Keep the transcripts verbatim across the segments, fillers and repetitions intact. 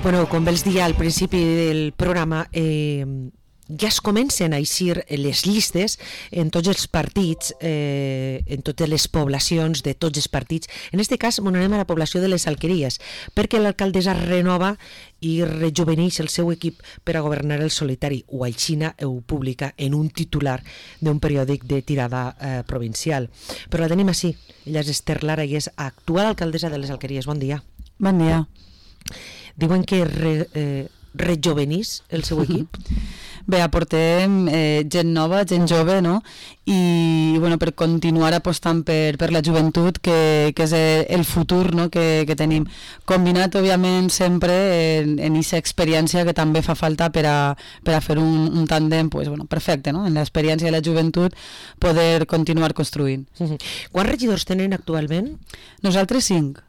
Bueno, com vels dir al principi del programa, eh, ja es comencen a eixir les llistes en tots els partits, eh, en totes les poblacions de tots els partits. En aquest cas, bueno, anem a la població de les Alqueries, perquè l'alcaldessa renova i rejuveneix el seu equip per a governar el solitari, o aixina ho publica en un titular d'un periòdic de tirada eh, provincial. Però la tenim així. Ella és Esther Lara i és actual alcaldessa de les Alqueries. Bon dia. Bon dia. Diuen que re, eh, rejuvenís el seu equip? Bé, aportem eh, gent nova, gent jove, no? I bueno, per continuar apostant per, per la joventut, que, que és el futur, no? que, que tenim. Combinat, òbviament, sempre en aquesta experiència que també fa falta per a, per a fer un, un tàndem pues, bueno, perfecte, no? En l'experiència de la joventut poder continuar construint. Uh-huh. Quants regidors tenen actualment? Nosaltres cinc.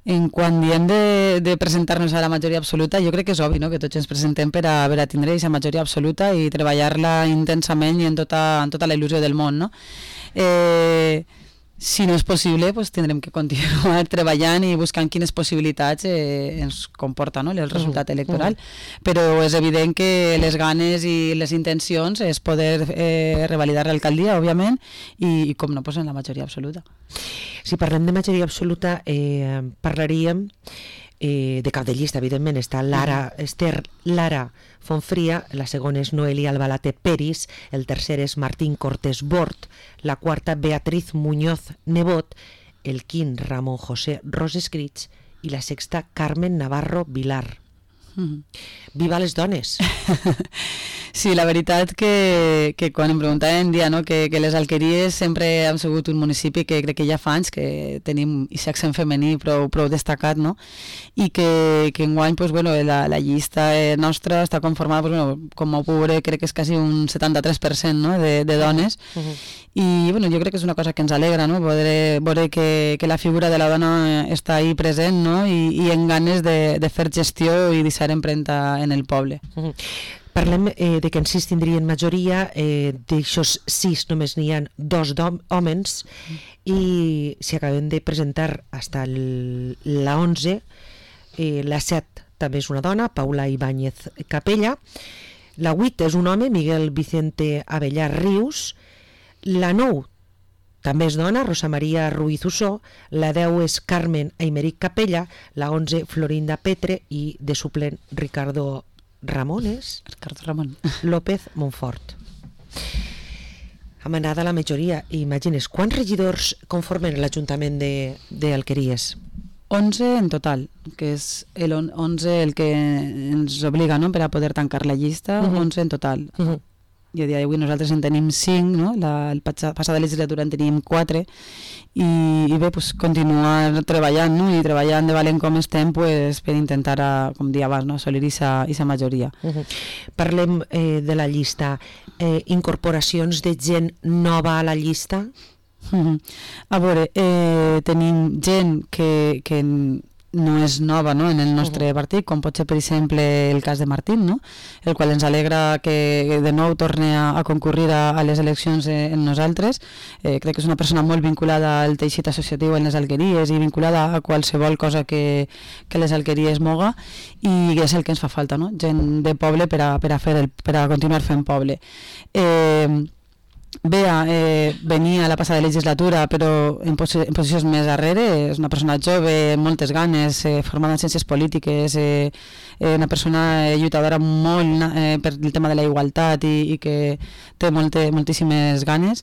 En quan diem de, de presentar-nos a la majoria absoluta, jo crec que és obvi, no? Que tots ens presentem per a, per a tindre aquesta majoria absoluta i treballar-la intensament i en tota, en tota la il·lusió del món, no? Eh, si no és possible, pues, tindrem que continuar treballant i buscant quines possibilitats eh, ens comporta, no? El resultat electoral, uh-huh. Però és evident que les ganes i les intencions és poder eh, revalidar l'alcaldia, òbviament, i, i com no, pues, en la majoria absoluta. Si parlem de majoria absoluta, eh, parlaríem eh, de cap de llista, evidentment. Està Lara, Esther Lara Fonfria, la segona és Noelia Albalate Peris, el tercer és Martín Cortés Bort, la quarta Beatriz Muñoz Nebot, el quint Ramon José Rosescrits i la sexta Carmen Navarro Vilar. Mm-hmm. Viva les dones! Sí, la veritat que, que quan em preguntaven dia, no, que, que les Alqueries sempre han sigut un municipi que crec que ja fa anys que tenim aquest accent femení prou, prou destacat, no? I que, que enguany pues, bueno, la, la llista nostra està conformada, pues, bueno, com ho puc veure, crec que és quasi un setanta-tres per cent, no? de, de dones. Uh-huh. I bueno, jo crec que és una cosa que ens alegra, no? Poder veure que, que la figura de la dona està ahí present, no? I, i en ganes de, de fer gestió i deixar empremta en el poble. Uh-huh. Parlem eh, de que en sis tindrien majoria, eh, d'aixòs sis només n'hi ha dos homes, i si acabem de presentar hasta el, la onze, eh, la set també és una dona, Paula Ibáñez Capella, la vuit és un home, Miguel Vicente Abellà Rius, la nou també és dona, Rosa Maria Ruiz Ussó, la deu és Carmen Aymeric Capella, la onze Florinda Petre i de suplent Ricardo Ramones Ricardo Ramon López Montfort. Amanada la majoria. Imagines, quants regidors conformen l'Ajuntament d'Alqueries? onze en total, que és el onze el que ens obliga, no?, per a poder tancar la llista. Uh-huh. onze en total. Uh-huh. I a dia d'avui nosaltres en tenim cinc, no? La el passada legislatura en teníem quatre, i, i bé, pues, continuar treballant, no? I treballant de valent com estem, pues, per intentar, a, com dia abans, no? Assolir aquesta majoria. Uh-huh. Parlem eh, de la llista. Eh, incorporacions de gent nova a la llista? Uh-huh. A veure, eh, tenim gent que, que no és nova, no?, en el nostre uh-huh. partit, com pot ser, per exemple, el cas de Martín, no?, el qual ens alegra que de nou torni a, a concurrir a, a les eleccions eh, en nosaltres. Eh, crec que és una persona molt vinculada al teixit associatiu en les Alqueries i vinculada a qualsevol cosa que, que les Alqueries moga, i és el que ens fa falta, no?, gent de poble per a, per a, fer el, per a continuar fent poble. Eh, Bea eh, venia a la passada legislatura, però en, posi en posicions més darrere. És una persona jove, amb moltes ganes, eh, formada en ciències polítiques, eh, eh, una persona lluitadora molt eh, per el tema de la igualtat, i, i que té molte, moltíssimes ganes.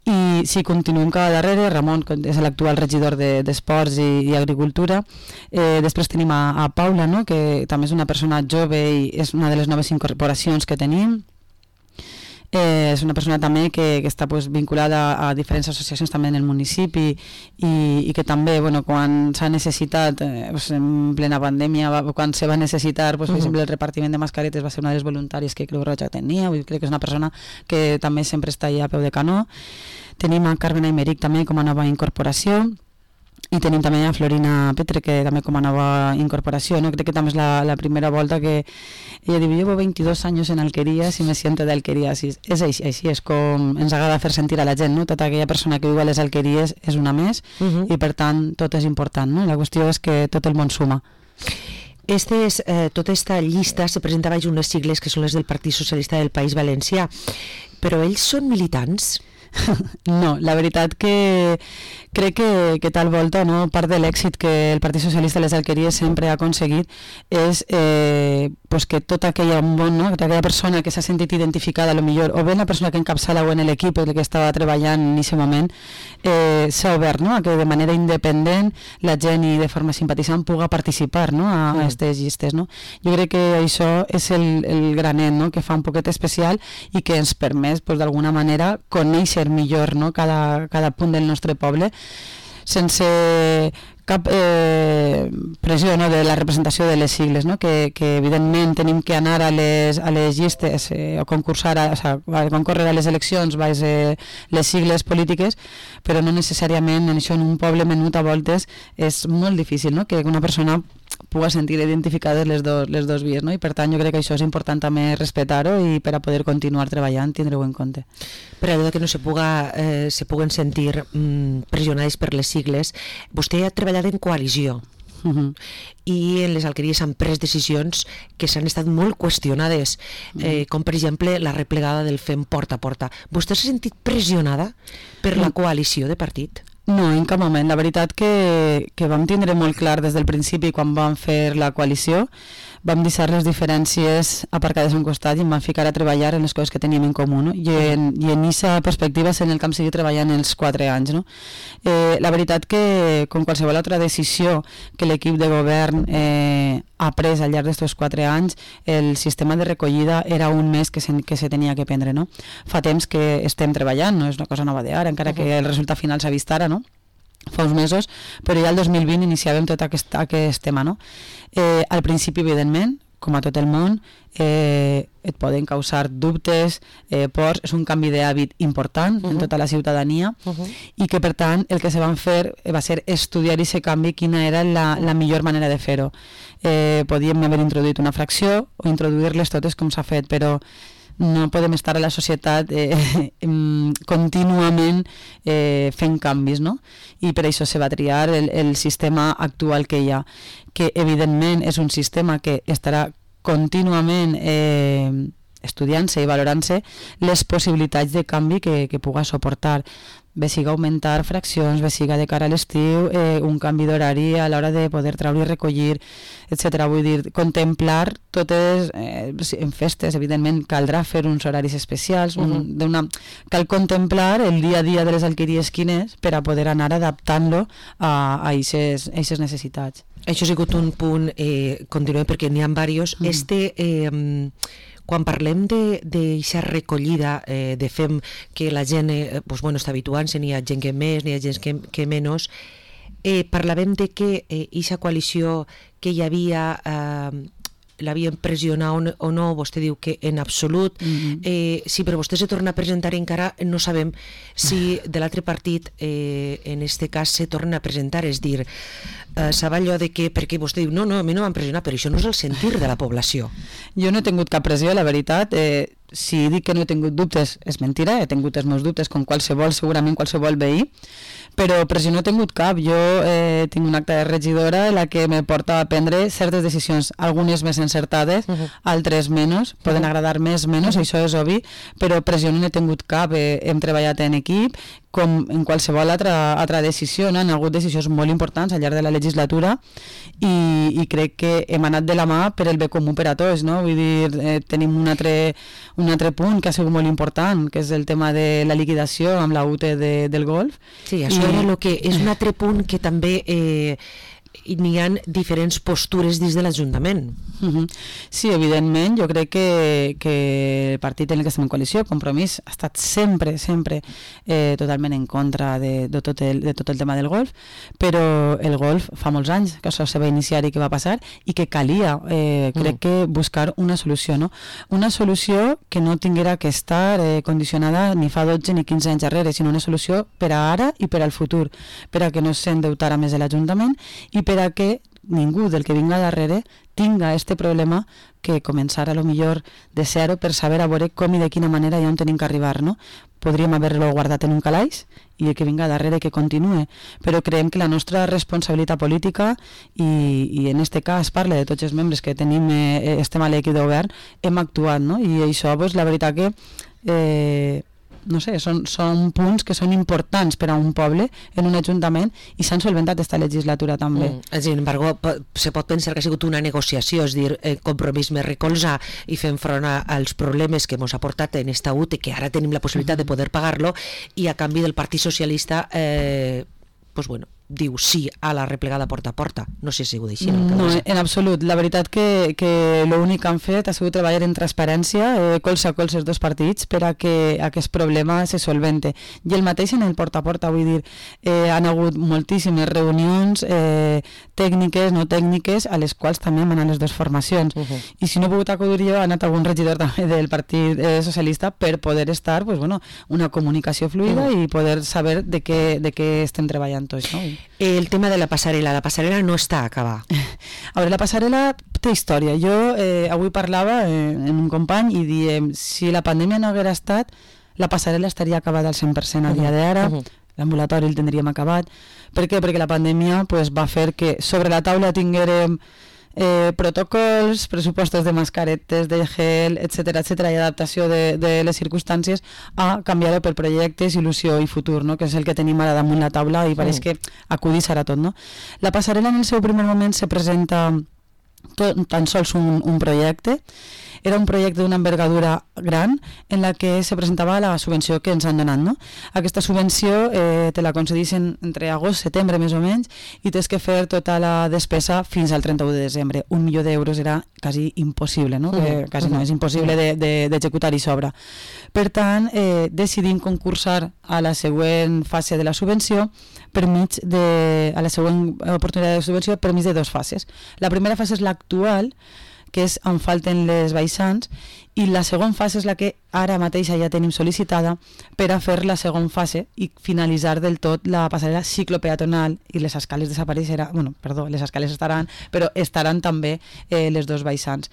I si continuem cada darrere, Ramon és l'actual regidor d'Esports de, i, i Agricultura. Eh, després tenim a, a Paula, no?, que també és una persona jove i és una de les noves incorporacions que tenim. Eh, és una persona també que, que està pues, vinculada a, a diferents associacions també en el municipi, i, i que també, bueno, quan s'ha necessitat, eh, pues, en plena pandèmia, va, quan se va necessitar, pues, per uh-huh. exemple, el repartiment de mascaretes, va ser una de les voluntàries que Creu Roja tenia. Vull dir, crec que és una persona que també sempre està allà a peu de canó. Tenim a Carmen Aymeric també com a nova incorporació. I tenim també a Florina Petre, que també com a nova incorporació, no? Crec que també és la, la primera volta que ella diu, llevo veintidós anys en Alquerías i me siento de Alquerías. És així, així és com ens agrada fer sentir a la gent, no? Tota aquella persona que viu a les Alqueries és una més, uh-huh. i per tant tot és important, no? La qüestió és que tot el món suma. Estes, eh, tota aquesta llista se presenta baix unes sigles que són les del Partit Socialista del País Valencià, però ells són militants? No, la veritat que crec que, que tal volta, no, part de l'èxit que el Partit Socialista de les Alqueries sempre ha aconseguit és eh, pues que tota aquella, bon, no, tota aquella persona que s'ha sentit identificada, a lo millor, o bé la persona que encapçala o en l'equip el que estava treballant en aquest moment, eh, s'ha obert, no, a que de manera independent la gent i de forma simpatitzant puga participar, no, a aquestes mm. llistes. No? Jo crec que això és el, el granet, no, que fa un poquet especial i que ens permet pues, d'alguna manera conèixer millor, no, cada, cada punt del nostre poble sense cap eh, pressió, no, de la representació de les sigles, no? que, que evidentment tenim que anar a les, a les llistes eh, o concursar, a, o sea, a concórrer a les eleccions baix eh, les sigles polítiques, però no necessàriament en això en un poble menut a voltes és molt difícil, no? Que una persona puga sentir identificades les, do, les dos vies, no? I per tant jo crec que això és important també respectar-ho i per a poder continuar treballant tindre-ho en compte. Per allò que no se, puga, eh, se puguen sentir mm, pressionades per les sigles, vostè ha treballat en coalició. Uh-huh. I en les alqueries han pres decisions que s'han estat molt qüestionades, eh, com per exemple la replegada del Fem porta a porta. Vostè s'ha sentit pressionada per la coalició de partit? No, en cap moment. La veritat que, que vam tindre molt clar des del principi quan vam fer la coalició, vam deixar les diferències aparcades a un costat i em vam ficar a treballar en les coses que teníem en comú, no? I en aquesta perspectiva és en el que hem seguit treballant els quatre anys. No? Eh, la veritat que, com qualsevol altra decisió que l'equip de govern eh, ha pres al llarg d'aquests quatre anys, el sistema de recollida era un més que se, que se tenia que prendre. No? Fa temps que estem treballant, no és una cosa nova d'ara, encara uh-huh. que el resultat final s'ha vist ara, no? Fa uns mesos, però ja el dos mil vint iniciàvem tot aquest, aquest tema, no? Eh, al principi, evidentment, com a tot el món, eh, et poden causar dubtes, eh, pors, és un canvi d'hàbit important uh-huh. en tota la ciutadania uh-huh. i que, per tant, el que se van fer va ser estudiar aquest canvi, quina era la, la millor manera de fer-ho. Eh, podíem haver introduït una fracció o introduir-les totes com s'ha fet, però no podem estar a la societat eh, contínuament eh, fent canvis, no? I per això se va triar el, el sistema actual que hi ha, que evidentment és un sistema que estarà contínuament eh, estudiant-se i valorant-se les possibilitats de canvi que, que puga suportar. Bé siga augmentar fraccions, bé siga de cara a l'estiu, eh, un canvi d'horari a l'hora de poder treure i recollir, etcètera. Vull dir, contemplar totes, eh, en festes, evidentment, caldrà fer uns horaris especials, un, uh-huh. una, cal contemplar el dia a dia de les alqueries quines per a poder anar adaptant-lo a aquestes necessitats. Això ha sigut un punt, eh, continuem perquè n'hi ha diversos. Mm. Este... Eh, quan parlem d'aquesta recollida eh, de fem que la gent eh, pues, bueno, està habituant-se, n'hi ha gent que més, n'hi ha gent que, que menys, eh, parlàvem de que aquesta eh, coalició que hi havia eh, l'havien pressionat o no, vostè diu que en absolut, mm-hmm. eh, si per vostè se torna a presentar encara no sabem si de l'altre partit eh, en este cas se torna a presentar, és dir, eh, sabe allò de que, perquè vostè diu no, no, a mi no m'han pressionat, però això no és el sentir de la població. Jo no he tingut cap pressió, la veritat, eh, si dic que no he tingut dubtes és mentira, he tingut els meus dubtes com qualsevol, segurament qualsevol veí, però pressió no he tingut cap. Jo eh, tinc un acte de regidora en la que me porta a prendre certes decisions, algunes més encertades, uh-huh. altres menys, poden uh-huh. agradar més, menys, uh-huh. això és obvi, però pressió no n'he tingut cap. Eh, hem treballat en equip, com en qualsevol altra, altra decisió, no? Han hagut decisions molt importants al llarg de la legislatura i, i crec que hem anat de la mà per el bé comú per a tots, no? Vull dir, eh, tenim un altre, un altre punt que ha sigut molt important, que és el tema de la liquidació amb la U T de, del golf. Sí, això I... era el que és un altre punt que també eh, n'hi ha diferents postures dins de l'Ajuntament. Uh-huh. Sí, evidentment, jo crec que, que el partit en el que estem en coalició, Compromís, ha estat sempre, sempre eh, totalment en contra de, de, tot el, de tot el tema del golf, però el golf fa molts anys que això se va iniciar i que va passar i que calia, eh, crec mm. que buscar una solució, no? Una solució que no tinguera que estar eh, condicionada ni fa dotze ni quinze anys darrere, sinó una solució per a ara i per al futur, per a que no s'endeutara més l'Ajuntament i per a que ningú del que vinga darrere tinga este problema que començar a lo millor de zero per saber a veure com i de quina manera i on tenim que arribar, no? Podríem haver-lo guardat en un calaix i el que vinga darrere que continue, però creiem que la nostra responsabilitat política i, i en este cas parla de tots els membres que tenim, eh, estem a l'equip de govern, hem actuat, no? I això, pues, la veritat que eh, no sé, són, són punts que són importants per a un poble en un ajuntament i s'han solventat esta legislatura també. Mm. Sin embargo, se pot pensar que ha sigut una negociació, és dir, el compromís més recolzar i fent front als problemes que ens ha portat en esta U T E, que ara tenim la possibilitat de poder pagar-lo, i a canvi del Partit Socialista eh, pues bueno, diu sí a la replegada porta a porta. No sé si ho deixin. No, en absolut. La veritat que, que l'únic que han fet ha sigut treballar en transparència, eh, colze a colze els dos partits, per a que aquest problema se solvente. I el mateix en el porta a porta, vull dir, eh, han hagut moltíssimes reunions eh, tècniques, no tècniques, a les quals també han anat les dues formacions. Uh -huh. I si no he pogut acudir jo, ha anat algun regidor també del Partit eh, Socialista per poder estar, pues, bueno, una comunicació fluida uh -huh. i poder saber de què, de què estem treballant tots, no? El tema de la passarel·la, la passarel·la no està a acabar. A veure, la passarel·la té història. Jo eh, avui parlava eh, amb un company i diem, si la pandèmia no haguera estat, la passarel·la estaria acabada al cent per cent a dia d'ara, uh -huh. l'ambulatori el tindríem acabat. Per què? Perquè la pandèmia pues, va fer que sobre la taula tinguérem Eh, protocols, pressupostos de mascaretes, de gel, etcètera, etcètera, i adaptació de, de les circumstàncies a canviar-ho per projectes, il·lusió i futur, no? Que és el que tenim ara damunt la taula i pareix mm. que acudir serà tot, no? La passarel·la en el seu primer moment se presenta tot, tan sols un, un projecte. Era un projecte d'una envergadura gran en la que se presentava la subvenció que ens han donat, no? Aquesta subvenció eh, te la concedissin entre agost i setembre més o menys i tens que fer tota la despesa fins al trenta-u de desembre. Un milió d'euros era quasi impossible, no? Que quasi no, és impossible d'executar de, de, i sobra. Per tant, eh, decidim concursar a la següent fase de la subvenció per mig de, a la següent oportunitat de subvenció per mig de dues fases. La primera fase és l'actual, que és on falten les baixants, i la segona fase és la que ara mateix ja tenim sol·licitada per a fer la segona fase i finalitzar del tot la passarel·la ciclopeatonal i les escales desapareixeran, bueno, perdó, les escales estaran, però estaran també eh, les dos baixants.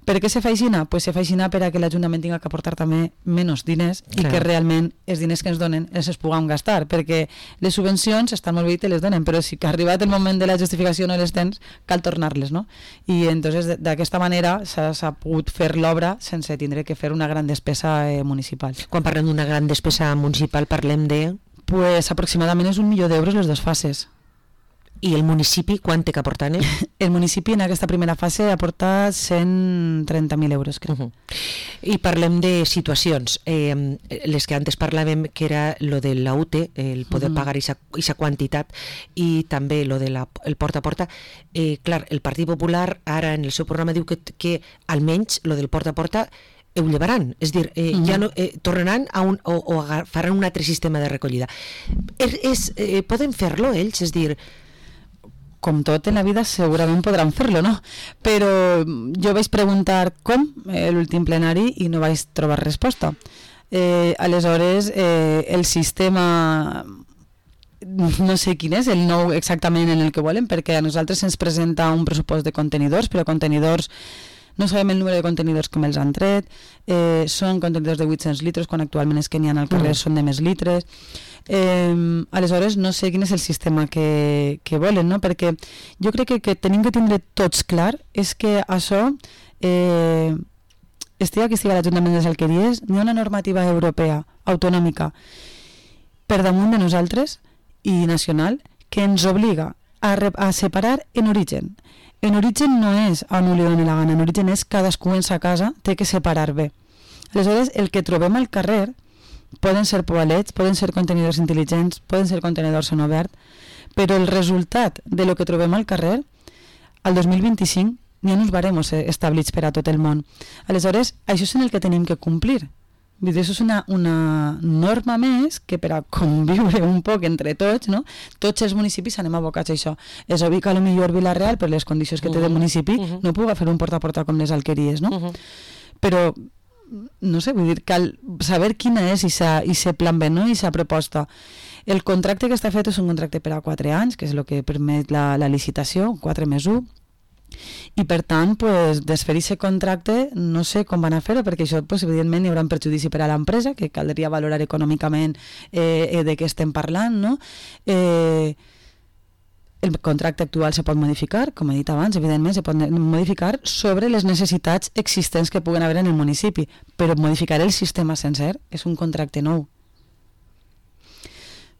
Per què se fa aixina? Pues se fa aixina per a que l'Ajuntament tinga que aportar també menys diners i clar, que realment els diners que ens donen els es puguem gastar, perquè les subvencions estan molt bé i te les donen, però si que ha arribat el moment de la justificació no les tens, cal tornar-les, no? I entonces d'aquesta manera s'ha pogut fer l'obra sense tindre que fer una gran despesa eh, municipal. Quan parlem d'una gran despesa municipal parlem de... Pues aproximadament és un milió d'euros les dues fases. I el municipi quant té que aportar? El municipi en aquesta primera fase ha aportat cent trenta mil euros, crec. Uh -huh. I parlem de situacions. Eh, les que antes parlàvem, que era lo de la U T E, el poder uh -huh. pagar aquesta quantitat, i també lo del de porta a porta. Eh, clar, el Partit Popular ara en el seu programa diu que, que almenys lo del porta a porta ho llevaran, és a dir, eh, uh-huh. ja no, eh, tornaran a un, o, o faran un altre sistema de recollida. És, és, eh, poden fer-lo ells? És a dir, com tot en la vida segurament podran fer-lo, no? Però jo vaig preguntar com eh, l'últim plenari i no vaig trobar resposta. Eh, aleshores, eh, el sistema no sé quin és, el nou exactament en el que volen, perquè a nosaltres ens presenta un pressupost de contenidors, però contenidors no sabem el número de contenidors que me'ls han tret, eh, són contenidors de vuit-cents litres, quan actualment és que n'hi ha al carrer mm. són de més litres. Eh, aleshores no sé quin és el sistema que, que volen, no? Perquè jo crec que, que tenim que tindre tots clar és que això eh, estiga que estiga l'Ajuntament de les Alqueries, n'hi ha una normativa europea autonòmica per damunt de nosaltres i nacional que ens obliga a, a separar en origen. En origen no és on li doni la gana, en origen és cadascú en sa casa té que separar bé. Aleshores el que trobem al carrer poden ser poalets, poden ser contenidors intel·ligents, poden ser contenidors en obert, però el resultat de lo que trobem al carrer, al dos mil vint-i-cinc, n'hi ha uns baremos establits per a tot el món. Aleshores, això és en el que tenim que complir. Vull dir, això és una, una norma més que per a conviure un poc entre tots, no? Tots els municipis anem abocats a això. És obvi que potser Vila-real, per les condicions que té de municipi, uh -huh. no puga fer un porta a porta com les Alqueries, no? Uh -huh. Però no sé, vull dir, cal saber quina és aquest plan B, no? I aquesta proposta. El contracte que està fet és un contracte per a quatre anys, que és el que permet la, la licitació, quatre més un, i per tant, pues, desfer aquest contracte no sé com van a fer-ho, perquè això, pues, evidentment, hi haurà un perjudici per a l'empresa, que caldria valorar econòmicament eh, de què estem parlant, no? Eh, el contracte actual se pot modificar, com he dit abans, evidentment, se pot modificar sobre les necessitats existents que puguen haver en el municipi, però modificar el sistema sencer és un contracte nou.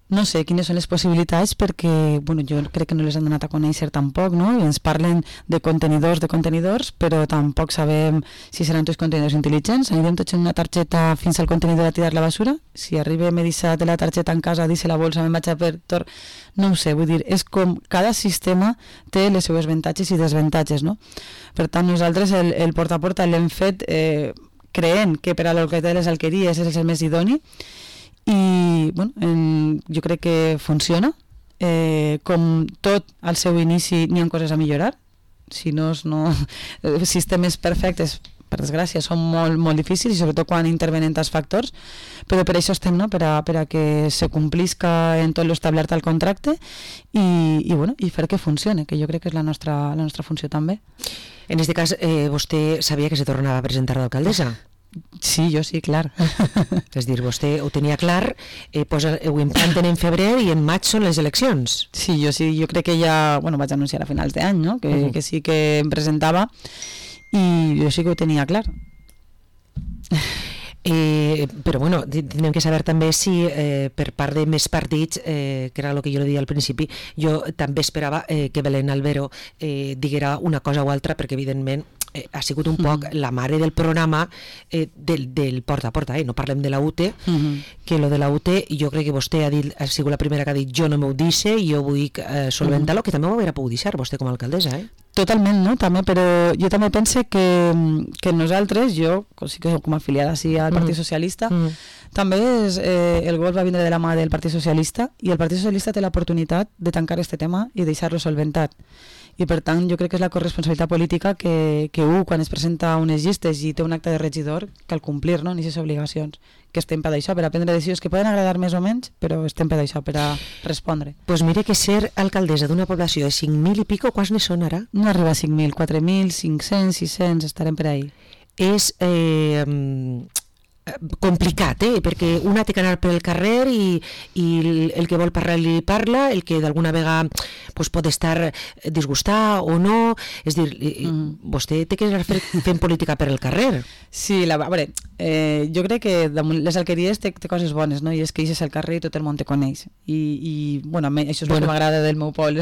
No sé quines són les possibilitats perquè, bueno, jo crec que no les han donat a conèixer tampoc, no? I ens parlen de contenidors, de contenidors, però tampoc sabem si seran tots contenidors intel·ligents. Anirem tots en una targeta fins al contenidor a tirar la basura? Si arriba m'he deixat la targeta en casa, deixa la bolsa, me'n vaig a per... Tor... No ho sé, vull dir, és com cada sistema té les seus avantatges i desavantatges, no? Per tant, nosaltres el, el porta a porta l'hem fet eh, creient que per a l'Orquestra de les Alqueries és el més idoni, i bueno, en, jo crec que funciona. Eh, com tot al seu inici n'hi ha coses a millorar, si no, no sistemes perfectes, per desgràcia, són molt, molt difícils, i sobretot quan intervenen tants factors, però per això estem, no? per, a, per a que se complisca en tot l'establert al contracte i, i, bueno, i fer que funcione, que jo crec que és la nostra, la nostra funció també. En aquest cas, eh, vostè sabia que se tornava a presentar d'alcaldessa? Sí, jo sí, clar. És dir, vostè ho tenia clar, eh, posa, ho implanten en febrer i en maig són les eleccions. Sí, jo sí, jo crec que ja, bueno, vaig anunciar a finals d'any, no? Que, uh-huh. que sí que em presentava i jo sí que ho tenia clar. Eh, però bueno, tenim que saber també si eh, per part de més partits, eh, que era el que jo li deia al principi, jo també esperava eh, que Belén Albero eh, diguera una cosa o altra, perquè evidentment eh, ha sigut un poc uh-huh. la mare del programa eh, del, del porta a porta, eh? No parlem de la U T, uh-huh. que lo de la U T jo crec que vostè ha, dit, ha sigut la primera que ha dit jo no m'ho dice, jo vull eh, solventar-lo, uh-huh. que també ho hauria pogut deixar vostè com a alcaldessa, eh? Totalment, no? També, però jo també pense que, que nosaltres, jo, sí que com a afiliada sí, al Partit Socialista, mm. també és, eh, el gol va vindre de la mà del Partit Socialista i el Partit Socialista té l'oportunitat de tancar este tema i deixar-lo solventat. I per tant jo crec que és la corresponsabilitat política que, que u, quan es presenta unes llistes i té un acte de regidor, cal complir, no?, en aquestes obligacions, que estem per això, per a prendre decisions que poden agradar més o menys, però estem per això, per a respondre. Doncs pues mire que ser alcaldessa d'una població de cinc mil i pico, quants ne són ara? No arriba a cinc mil, quatre mil, cinc-cents, sis-cents, estarem per ahí. És... Eh, complicat, eh? Perquè una té que anar pel carrer i, i el que vol parlar li parla, el que d'alguna vegada pues, pot estar disgustat o no, és dir, mm. vostè té que anar fent política per el carrer. Sí, la, a veure, eh, jo crec que les alqueries té, té coses bones, no? I és que eixes al carrer i tot el món te coneix i, i bueno, això és bueno. el que m'agrada del meu poble.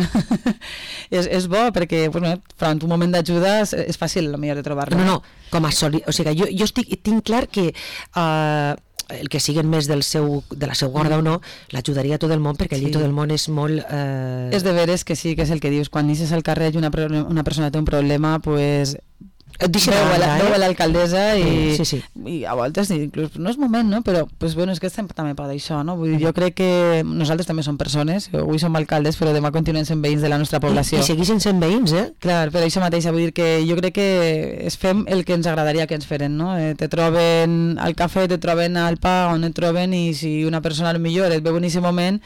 és, és bo perquè bueno, davant un moment d'ajuda és, és fàcil a millor de trobar-lo. No, no, com a soli... o sigui, jo, jo estic, tinc clar que Uh, el que siguen més del seu, de la seva guarda o no, l'ajudaria tot el món, perquè allí sí. tot el món és molt... Uh... És de veres que sí, que és el que dius, quan eixes al carrer i una, una persona té un problema, pues... Veu a, la, eh? veu a l'alcaldessa i, sí, sí. i a voltes inclús no és moment, no? Però pues, bueno, és que estem també per això, no? Vull dir, jo crec que nosaltres també som persones, avui som alcaldes però demà continuem sent veïns de la nostra població. I, i segueixen sent veïns, eh? Clar, però això mateix, vull dir que jo crec que es fem el que ens agradaria que ens feren, no? Eh, te troben al cafè, te troben al pa, on et troben, i si una persona al millor et veu en aquest moment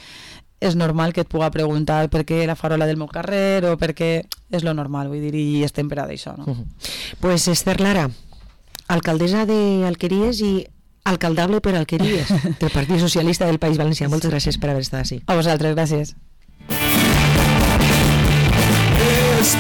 és normal que et puga preguntar per què la farola del meu carrer o per què és lo normal, vull dir, i estem per a d'això, no? Uh -huh. Pues Esther Lara, alcaldessa d'Alqueries i alcaldable per Alqueries del Partit Socialista del País Valencià. Moltes gràcies per haver estat així. A vosaltres, gràcies. Es